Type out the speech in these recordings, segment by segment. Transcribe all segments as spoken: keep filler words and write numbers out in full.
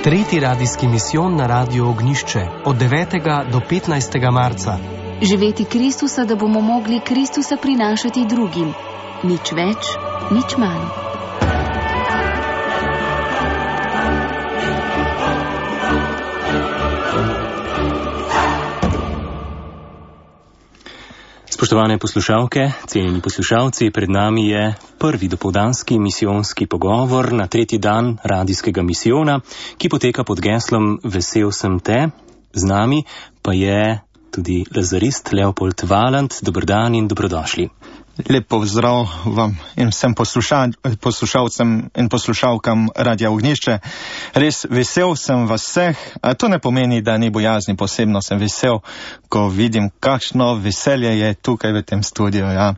Tretji radijski misijon na Radiu Ognjišče od devetega do petnajstega marca. Živeti Kristusa, da bomo mogli Kristusa prinašati drugim. Nič več, nič manj. Spoštovane poslušalke, cenjeni poslušalci, pred nami je prvi dopoldanski misijonski pogovor na tretji dan radijskega misijona, ki poteka pod geslom Vesel sem te. Z nami pa je tudi lazarist Leopold Valant. Dober dan in dobrodošli. Lep pozdrav vam in vsem posluša, poslušalcem in poslušalkam Radia Ognjišče. Res vesel sem vas vseh, a to ne pomeni, da ni bojazni, posebno sem vesel, ko vidim, kakšno veselje je tukaj v tem studiu. Ja.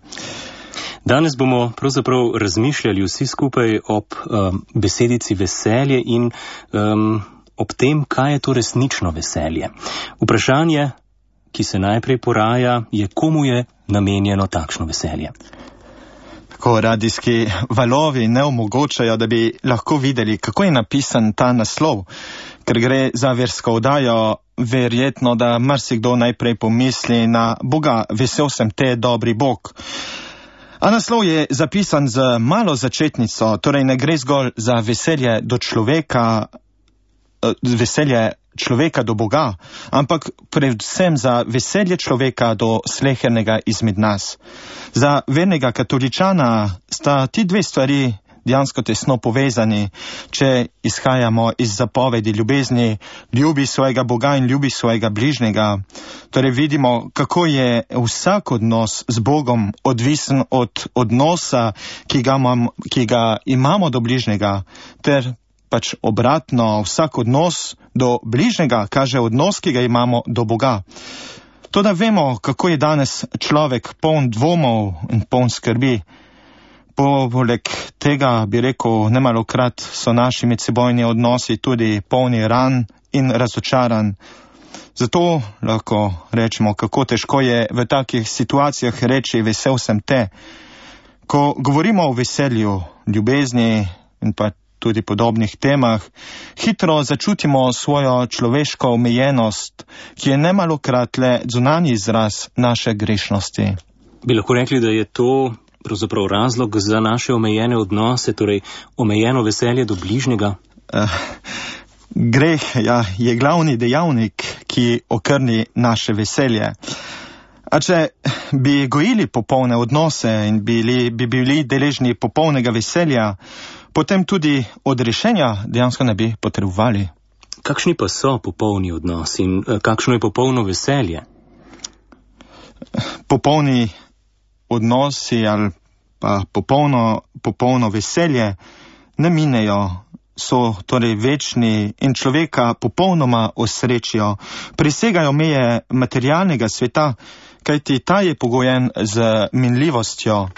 Danes bomo pravzaprav razmišljali vsi skupaj ob um, besedici veselje in um, ob tem, kaj je to resnično veselje. Vprašanje, ki se najprej poraja, je, komu je namenjeno takšno veselje. Tako radijski valovi ne omogočajo, da bi lahko videli, kako je napisan ta naslov, ker gre za versko oddajo, verjetno, da marsikdo najprej pomisli na Boga, vesel sem te, dobri Bog. A naslov je zapisan z malo začetnico, torej ne gre zgolj za veselje do človeka, veselje človeka do Boga, ampak predvsem za veselje človeka do slehernega izmed nas. Za vernega katoličana sta ti dve stvari dejansko tesno povezani, če izhajamo iz zapovedi ljubezni, ljubi svojega Boga in ljubi svojega bližnjega. Torej vidimo, kako je vsak odnos z Bogom odvisen od odnosa, ki ga, imam, ki ga imamo do bližnjega, ter pač obratno, vsak odnos do bližnjega kaže odnos, ki ga imamo do Boga. To, da vemo, kako je danes človek poln dvomov in poln skrbi. Poleg tega bi rekel, nemalokrat so naši medsebojni odnosi tudi polni ran in razočaran. Zato lahko rečemo, kako težko je v takih situacijah reči vesel sem te. Ko govorimo o veselju, ljubezni in pa tudi podobnih temah, hitro začutimo svojo človeško omejenost, ki je nemalokrat le zunanji izraz naše grešnosti. Bi lahko rekli, da je to pravzaprav razlog za naše omejene odnose, torej omejeno veselje do bližnjega? Uh, greh ja, je glavni dejavnik, ki okrni naše veselje. A če bi gojili popolne odnose in bili, bi bili deležni popolnega veselja, potem tudi odrešenja dejansko ne bi potrebovali. Kakšni pa so popolni odnosi in kakšno je popolno veselje? Popolni odnosi ali pa popolno, popolno veselje ne minejo, so torej večni in človeka popolnoma osrečijo, presegajo meje materialnega sveta, kajti ta je pogojen z minljivostjo.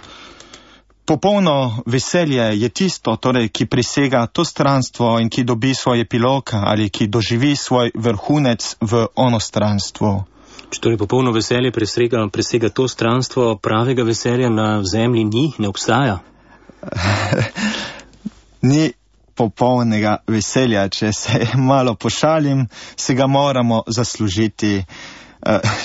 Popolno veselje je tisto, torej, ki presega to stranstvo in ki dobi svoj epilog ali ki doživi svoj vrhunec v onostranstvu. Če torej popolno veselje presega, presega to stranstvo, pravega veselja na zemlji ni, ne obstaja? Ni popolnega veselja, če se malo pošalim, se ga moramo zaslužiti.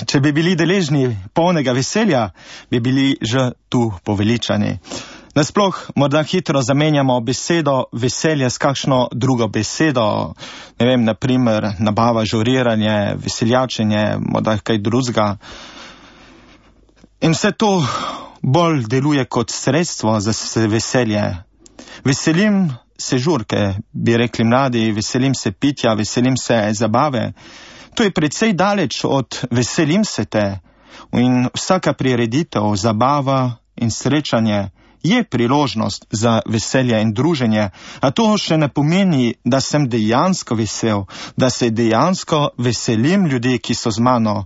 Če bi bili deležni polnega veselja, bi bili že tu poveličani. Nasploh morda hitro zamenjamo besedo veselje s kakšno drugo besedo, ne vem, na primer nabava, žuriranje, veseljačenje, morda kaj drugega. In vse to bolj deluje kot sredstvo za veselje. Veselim se žurke, bi rekli mladi, veselim se pitja, veselim se zabave. To je precej daleč od veselim se te. In vsaka prireditev, zabava in srečanje je priložnost za veselje in druženje, a to še ne pomeni, da sem dejansko vesel, da se dejansko veselim ljudi, ki so z mano.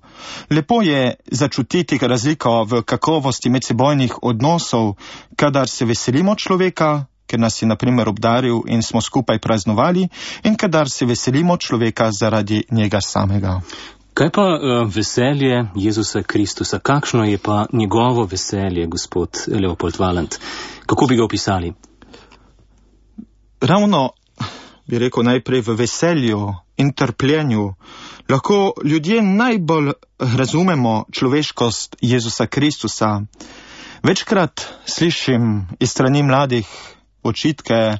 Lepo je začutiti razliko v kakovosti medsebojnih odnosov, kadar se veselimo človeka, ker nas je na primer obdaril in smo skupaj praznovali, in kadar se veselimo človeka zaradi njega samega. Kaj pa uh, veselje Jezusa Kristusa? Kakšno je pa njegovo veselje, gospod Leopold Valant? Kako bi ga opisali? Ravno bi rekel najprej v veselju in trpljenju, lahko ljudje najbolj razumemo človeškost Jezusa Kristusa. Večkrat slišim iz strani mladih očitke: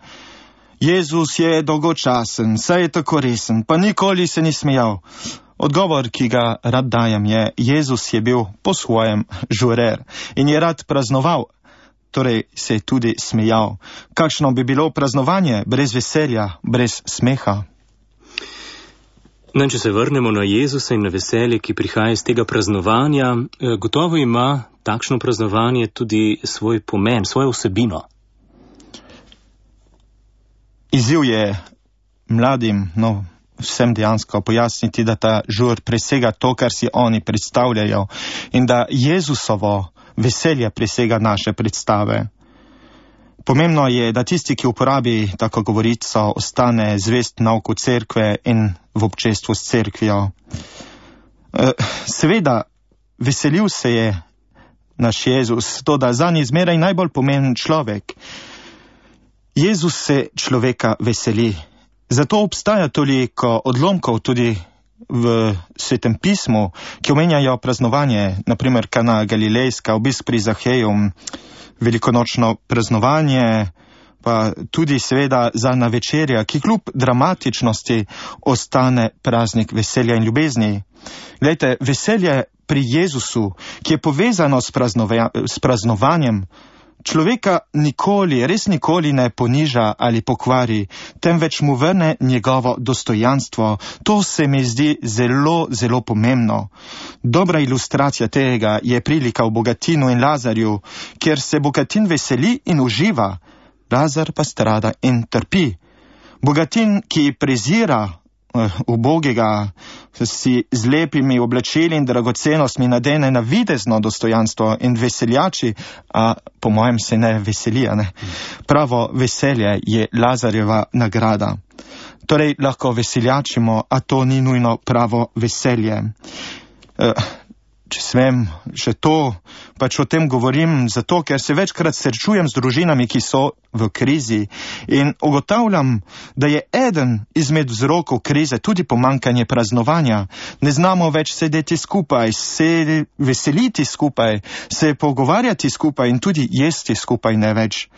Jezus je dolgočasen, saj je tako resen, pa nikoli se ni smejal. Odgovor, ki ga rad dajem, je: Jezus je bil po svojem žurer in je rad praznoval, torej se je tudi smejal. Kakšno bi bilo praznovanje brez veselja, brez smeha? No, če se vrnemo na Jezusa in na veselje, ki prihaja iz tega praznovanja, gotovo ima takšno praznovanje tudi svoj pomen, svojo vsebino. Izziv je mladim, no, vsem dejansko pojasniti, da ta žur presega to, kar si oni predstavljajo, in da Jezusovo veselje presega naše predstave. Pomembno je, da tisti, ki uporabi tako govorico, ostane zvest nauku cerkve in v občestvu s cerkvijo. Seveda, veselil se je naš Jezus, to da zanj je zmeraj najbolj pomemben človek. Jezus se človeka veseli. Zato obstaja toliko odlomkov tudi v Svetem pismu, ki omenjajo praznovanje, naprimer Kana Galilejska, obisk pri Zaheju, velikonočno praznovanje, pa tudi seveda zadnja večerja, ki kljub dramatičnosti ostane praznik veselja in ljubezni. Glejte, veselje pri Jezusu, ki je povezano s, praznova, s praznovanjem, človeka nikoli, res nikoli ne poniža ali pokvari, temveč mu vrne njegovo dostojanstvo. To se mi zdi zelo, zelo pomembno. Dobra ilustracija tega je prilika v Bogatinu in Lazarju, kjer se Bogatin veseli in uživa, Lazar pa strada in trpi. Bogatin, ki prezira ubogega, si z lepimi oblačili in dragocenostmi nadene na videzno dostojanstvo in veseljači, a po mojem se ne veselija, ne. Pravo veselje je Lazarjeva nagrada. Torej lahko veseljačimo, a to ni nujno pravo veselje. E, če smem še to, pač o tem govorim zato, ker se večkrat srečujem z družinami, ki so v krizi, in ugotavljam, da je eden izmed vzrokov krize tudi pomanjkanje praznovanja. Ne znamo več sedeti skupaj, se veseliti skupaj, se pogovarjati skupaj in tudi jesti skupaj ne več.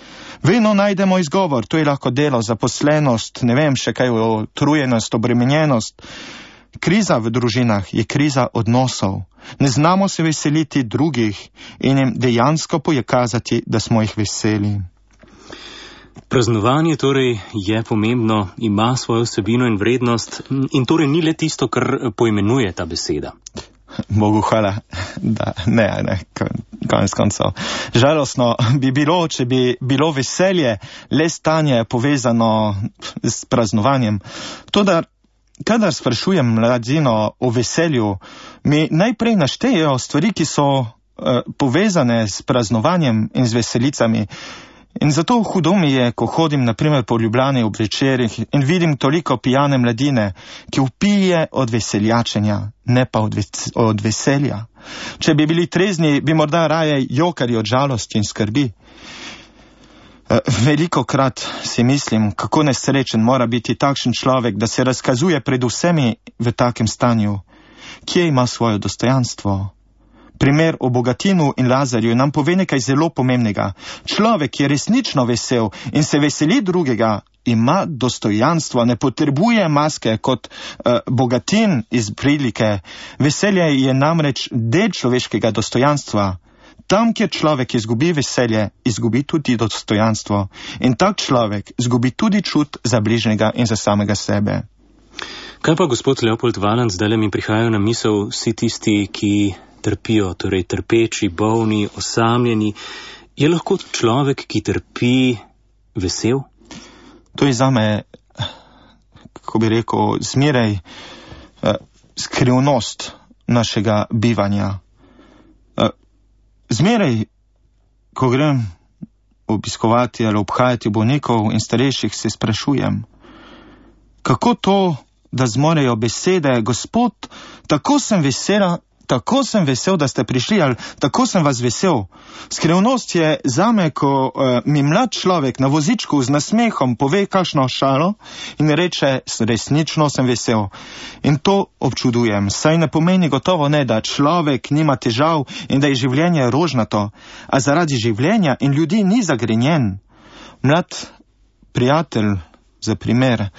Vedno najdemo izgovor, to je lahko delo, zaposlenost, ne vem še kaj, utrujenost, obremenjenost. Kriza v družinah je kriza odnosov. Ne znamo se veseliti drugih in jim dejansko pokazati, da smo jih veseli. Praznovanje torej je pomembno, ima svojo vsebino in vrednost in torej ni le tisto, kar poimenuje ta beseda. Bogu hvala, da ne, ne, konec koncev. Žalostno bi bilo, če bi bilo veselje le stanje povezano s praznovanjem. Toda kadar sprašujem mladino o veselju, mi najprej naštejejo stvari, ki so uh, povezane s praznovanjem in z veselicami. In zato hudo mi je, ko hodim naprimer po Ljubljani ob večerih in vidim toliko pijane mladine, ki vpije od veseljačenja, ne pa od, ves od veselja. Če bi bili trezni, bi morda raje jokali od žalosti in skrbi. Veliko krat si mislim, kako nesrečen mora biti takšen človek, da se razkazuje pred vsemi v takem stanju. Kje ima svoje dostojanstvo? Primer o Bogatinu in Lazarju nam pove nekaj zelo pomembnega. Človek, ki je resnično vesel in se veseli drugega, ima dostojanstvo, ne potrebuje maske kot uh, Bogatin iz prilike. Veselje je namreč del človeškega dostojanstva. Tam, kjer človek izgubi veselje, izgubi tudi dostojanstvo. In tak človek izgubi tudi čut za bližnjega in za samega sebe. Kaj pa, gospod Leopold Valant, zdaj mi prihajajo na misel vsi tisti, ki trpijo, torej trpeči, bolni, osamljeni. Je lahko človek, ki trpi, vesel? To je zame, kako bi rekel, zmeraj uh, skrivnost našega bivanja. Uh, Zmeraj, ko grem obiskovati ali obhajati bolnikov in starejših, se sprašujem, kako to, da zmorejo besede: Gospod, tako sem vesela, tako sem vesel, da ste prišli, ali tako sem vas vesel. Skrivnost je zame, ko uh, mi mlad človek na vozičku z nasmehom pove kakšno šalo in reče, resnično sem vesel. In to občudujem, saj ne pomeni gotovo ne, da človek nima težav in da je življenje rožnato, a zaradi življenja in ljudi ni zagrenjen. Mlad prijatelj, za primer,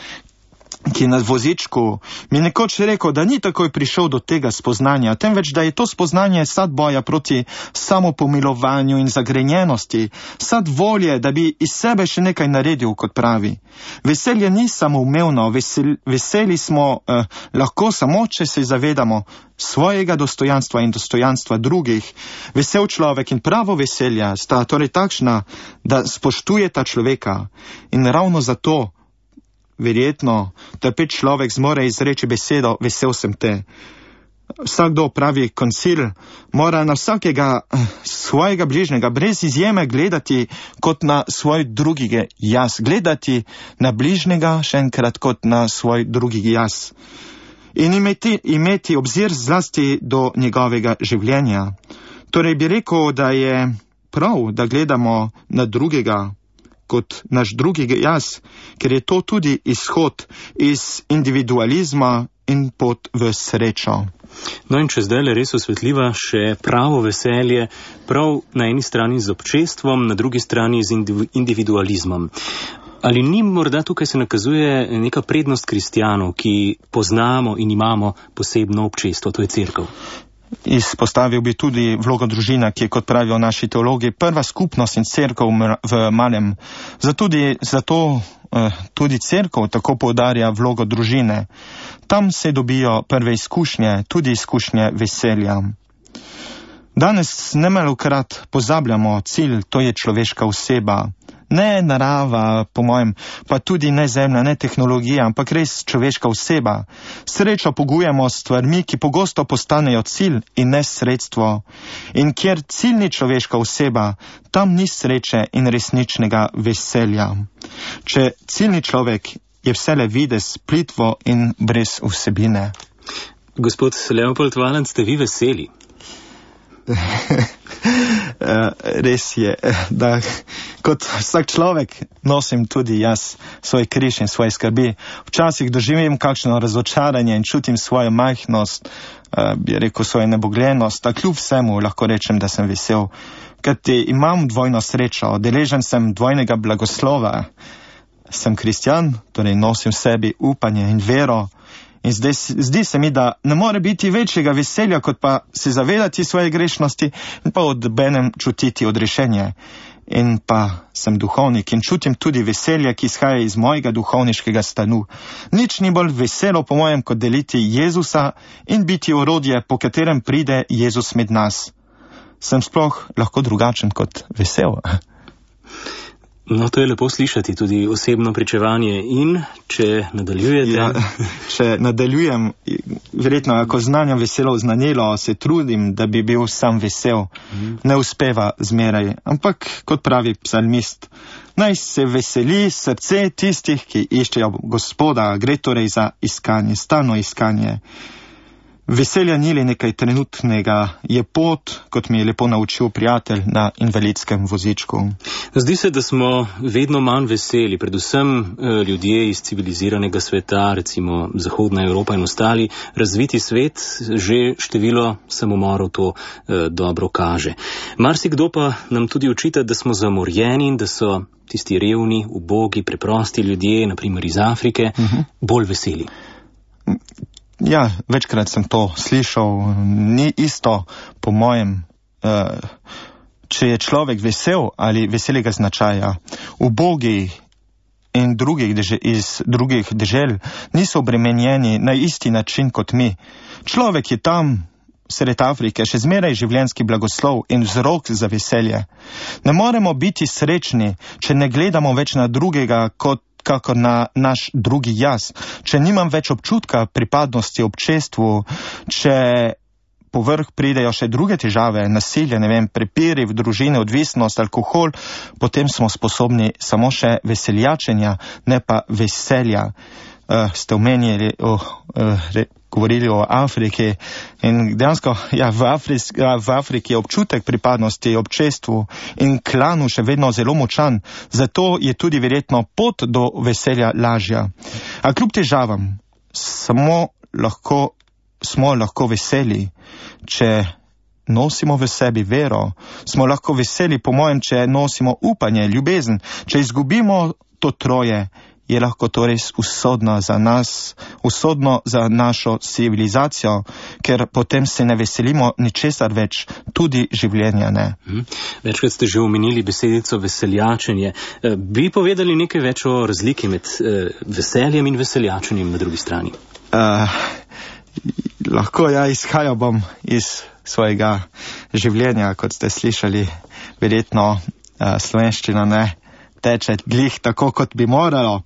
ki je na vozičku, mi nekoč rekel, da ni takoj prišel do tega spoznanja, temveč da je to spoznanje sad boja proti samopomilovanju in zagrenjenosti, sad volje, da bi iz sebe še nekaj naredil, kot pravi. Veselje ni samoumevno, vesel, veseli smo eh, lahko samo, če se zavedamo svojega dostojanstva in dostojanstva drugih. Vesel človek in pravo veselja sta torej takšna, da spoštujeta človeka. In ravno zato verjetno trpeč človek zmore izreči besedo vesel sem te. Vsakdo pravi koncil mora na vsakega svojega bližnjega brez izjeme gledati kot na svoj drugega jaz. Gledati na bližnjega še enkrat kot na svoj drugi jaz. In imeti, imeti obzir zlasti do njegovega življenja. Torej bi rekel, da je prav, da gledamo na drugega kot naš drugi jaz, ker je to tudi izhod iz individualizma in pot v srečo. No in če zdaj le res osvetliva še pravo veselje, prav na eni strani z občestvom, na drugi strani z individualizmom. Ali ni morda tukaj se nakazuje neka prednost kristjanov, ki poznamo in imamo posebno občestvo, to je cerkev? Izpostavil bi tudi vlogo družina, ki je, kot pravijo naši teologi, prva skupnost in cerkev v malem. Zato tudi, zato, tudi cerkev tako poudarja vlogo družine. Tam se dobijo prve izkušnje, tudi izkušnje veselja. Danes nemalokrat pozabljamo cilj, to je človeška oseba. Ne narava, po mojem, pa tudi ne zemlja, ne tehnologija, ampak res človeška oseba. Srečo pogujemo s stvarmi, ki pogosto postanejo cilj in ne sredstvo. In kjer cilj ni človeška oseba, tam ni sreče in resničnega veselja. Če ciljni človek je vsele videz, plitvo in brez vsebine. Gospod Leopold Valant, ste vi veseli? Res je, da kot vsak človek nosim tudi jaz svoj križ in svoje skrbi. Včasih doživim kakšno razočaranje in čutim svojo majhnost, bi rekel svojo nebogljenost, a kljub vsemu lahko rečem, da sem vesel, ker imam dvojno srečo, deležen sem dvojnega blagoslova. Sem kristjan, torej nosim v sebi upanje in vero. In zdaj, zdi se mi, da ne more biti večjega veselja, kot pa se zavedati svoje grešnosti in pa odbenem čutiti odrešenje. In pa sem duhovnik in čutim tudi veselje, ki izhaja iz mojega duhovniškega stanu. Nič ni bolj veselo po mojem, kot deliti Jezusa in biti orodje, po katerem pride Jezus med nas. Sem sploh lahko drugačen kot vesel. No, to je lepo slišati, tudi osebno pričevanje. In če nadaljujete? Ja, če nadaljujem, verjetno, ako znanja veselo znanilo, se trudim, da bi bil sam vesel. Mm. Ne uspeva zmeraj, ampak, kot pravi psalmist, naj se veseli srce tistih, ki iščejo Gospoda, gre torej za iskanje, stalno iskanje. Veselja ni le nekaj trenutnega, je pot, kot mi je lepo naučil prijatelj na invalidskem vozičku. Zdi se, da smo vedno manj veseli, predvsem eh, ljudje iz civiliziranega sveta, recimo Zahodna Evropa in ostali, razviti svet, že število samomorov to eh, dobro kaže. Marsikdo pa nam tudi očita, da smo zamorjeni in da so tisti revni, ubogi, preprosti ljudje, naprimer iz Afrike, uh-huh. bolj veseli. Ja, večkrat sem to slišal, ni isto po mojem, če je človek vesel ali veselega značaja. Ubogi in drugih deže, iz drugih dežel niso obremenjeni na isti način kot mi. Človek je tam, sred Afrike, še zmeraj življenjski blagoslov in vzrok za veselje. Ne moremo biti srečni, če ne gledamo več na drugega kot kako na naš drugi jaz. Če nimam več občutka pripadnosti občestvu, če povrh pridejo še druge težave, nasilje, ne vem, prepiri v družini, odvisnost, alkohol, potem smo sposobni samo še veseljačenja, ne pa veselja. uh, ste omenili, o, uh, re, govorili o Afriki in dejansko ja, v, Afris, ja, v Afriki je občutek pripadnosti občestvu in klanu še vedno zelo močan, zato je tudi verjetno pot do veselja lažja. A kljub težavam samo lahko, smo lahko veseli, če nosimo v sebi vero, smo lahko veseli, po mojem, če nosimo upanje, ljubezen, če izgubimo to troje, je lahko to res usodno za nas, usodno za našo civilizacijo, ker potem se ne veselimo ničesar več, tudi življenja ne. Hmm. Večkrat ste že omenili besedico veseljačenje. Bi povedali nekaj več o razliki med eh, veseljem in veseljačenjem na drugi strani? Uh, lahko ja izhajal bom iz svojega življenja, kot ste slišali, verjetno uh, slovenščina ne teče glih tako, kot bi moralo.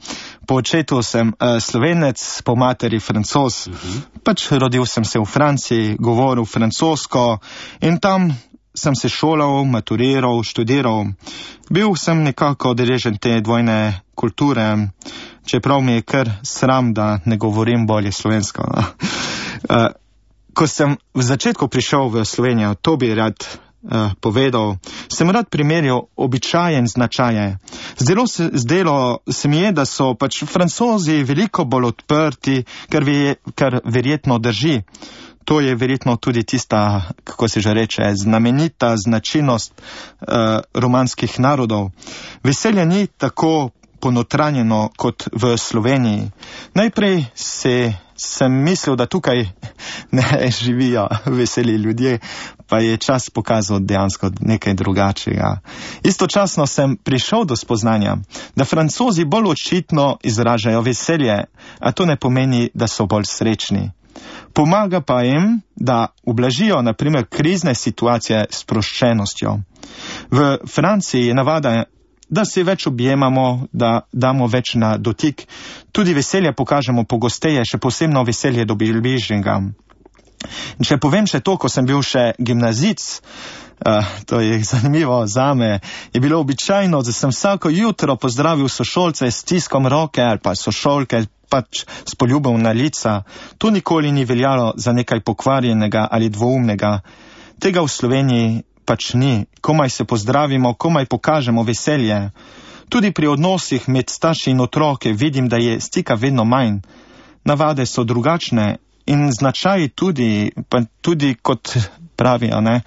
Po očetu sem uh, Slovenec, po materi Francoz. Uh-huh. Pač rodil sem se v Franciji, govoril francosko in tam sem se šolal, maturiral, študiral. Bil sem nekako deležen te dvojne kulture, čeprav mi je kar sram, da ne govorim bolje slovensko. uh, ko sem v začetku prišel v Slovenijo, to bi rad Uh, povedal, sem rad primerjal običaje in značaje. Zdelo se, zdelo se mi je, da so pač Francozi veliko bolj odprti, kar, ve, kar verjetno drži. To je verjetno tudi tista, kako se že reče, znamenita značilnost uh, romanskih narodov. Veselje ni tako ponotranjeno kot v Sloveniji. Najprej se, sem mislil, da tukaj ne živijo veseli ljudje, pa je čas pokazal dejansko nekaj drugačnega. Istočasno sem prišel do spoznanja, da Francozi bolj očitno izražajo veselje, a to ne pomeni, da so bolj srečni. Pomaga pa jim, da ublažijo na primer krizne situacije s sproščenostjo. V Franciji je navada, da se več objemamo, da damo več na dotik. Tudi veselje pokažemo pogosteje, še posebno veselje do bližnjega. Če povem še to, ko sem bil še gimnazic, uh, to je zanimivo zame, je bilo običajno, da sem vsako jutro pozdravil sošolce s stiskom roke ali pa sošolke pač s poljubom na lica. To nikoli ni veljalo za nekaj pokvarjenega ali dvoumnega. Tega v Sloveniji pač ni. Komaj se pozdravimo, komaj pokažemo veselje. Tudi pri odnosih med starši in otroke vidim, da je stika vedno manj. Navade so drugačne. In značaj tudi, pa tudi kot pravijo, ne,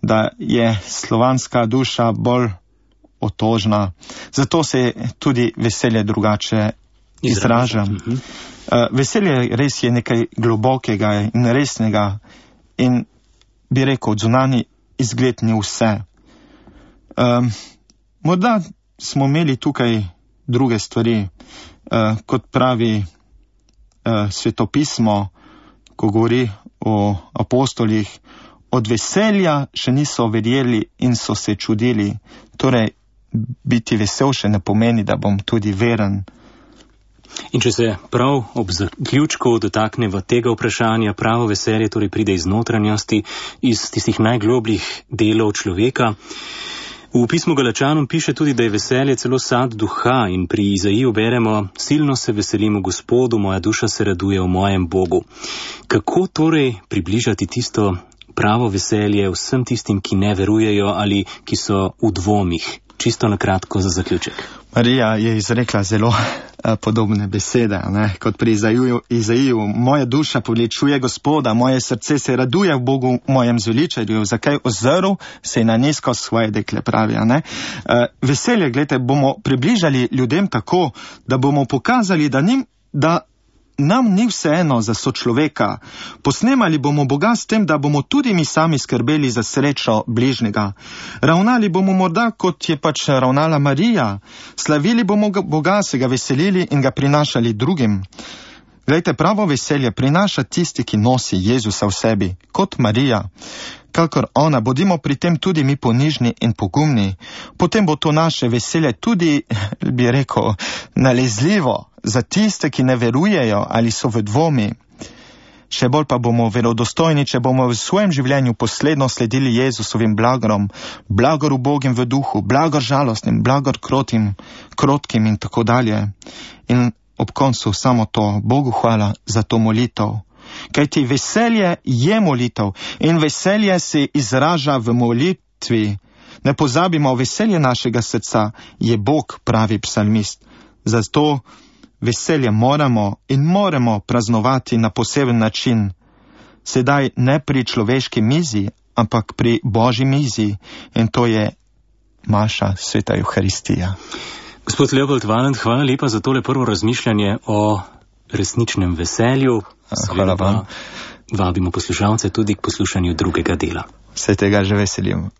da je slovanska duša bolj otožna. Zato se tudi veselje drugače izraža. Uh, veselje res je nekaj globokega in resnega in bi rekel, zunanji izgled ni vse. Um, morda smo imeli tukaj druge stvari, uh, kot pravi uh, svetopismo, ko govori o apostolih, od veselja še niso verjeli in so se čudili. Torej, biti vesel še ne pomeni, da bom tudi veren. In če se prav ob zaključku dotakneva tega vprašanja, pravo veselje torej pride iz notranjosti, iz tistih najglobljih delov človeka. V pismu Galačanom piše tudi, da je veselje celo sad duha in pri Izaiju beremo: silno se veselim v Gospodu, moja duša se raduje v mojem Bogu. Kako torej približati tisto pravo veselje vsem tistim, ki ne verujejo ali ki so v dvomih? Čisto na kratko za zaključek. Marija je izrekla zelo a, podobne besede, ne? Kot pri Izaiju, Izaiju. Moja duša poveličuje Gospoda, moje srce se raduje v Bogu, mojem zveličarju. Zakaj ozrl se je na nizko svoje dekle, pravi, ne? A, veselje, gledajte, bomo približali ljudem tako, da bomo pokazali, da, njim, da nam ni vseeno za sočloveka. Posnemali bomo Boga s tem, da bomo tudi mi sami skrbeli za srečo bližnjega. Ravnali bomo morda, kot je pač ravnala Marija. Slavili bomo Boga, se ga veselili in ga prinašali drugim. Glejte, pravo veselje prinaša tisti, ki nosi Jezusa v sebi, kot Marija. Kakor ona, bodimo pri tem tudi mi ponižni in pogumni. Potem bo to naše veselje tudi, bi rekel, nalezljivo za tiste, ki ne verujejo ali so v dvomi. Še bolj pa bomo verodostojni, če bomo v svojem življenju posledno sledili Jezusovim blagorom, blagor ubogim v duhu, blagor žalostnim, blagor krotim, krotkim in tako dalje. In ob koncu samo to, Bogu hvala za to molitev. Kajti veselje je molitev in veselje se izraža v molitvi. Ne pozabimo, veselje našega srca je Bog, pravi psalmist. Zato veselje moramo in moramo praznovati na poseben način. Sedaj ne pri človeški mizi, ampak pri Božji mizi, in to je naša sveta Euharistija. Gospod Leopold Valent, hvala lepa za tole prvo razmišljanje o resničnem veselju. Hvala vam. Vabimo poslušalce tudi k poslušanju drugega dela. Se tega že veselim.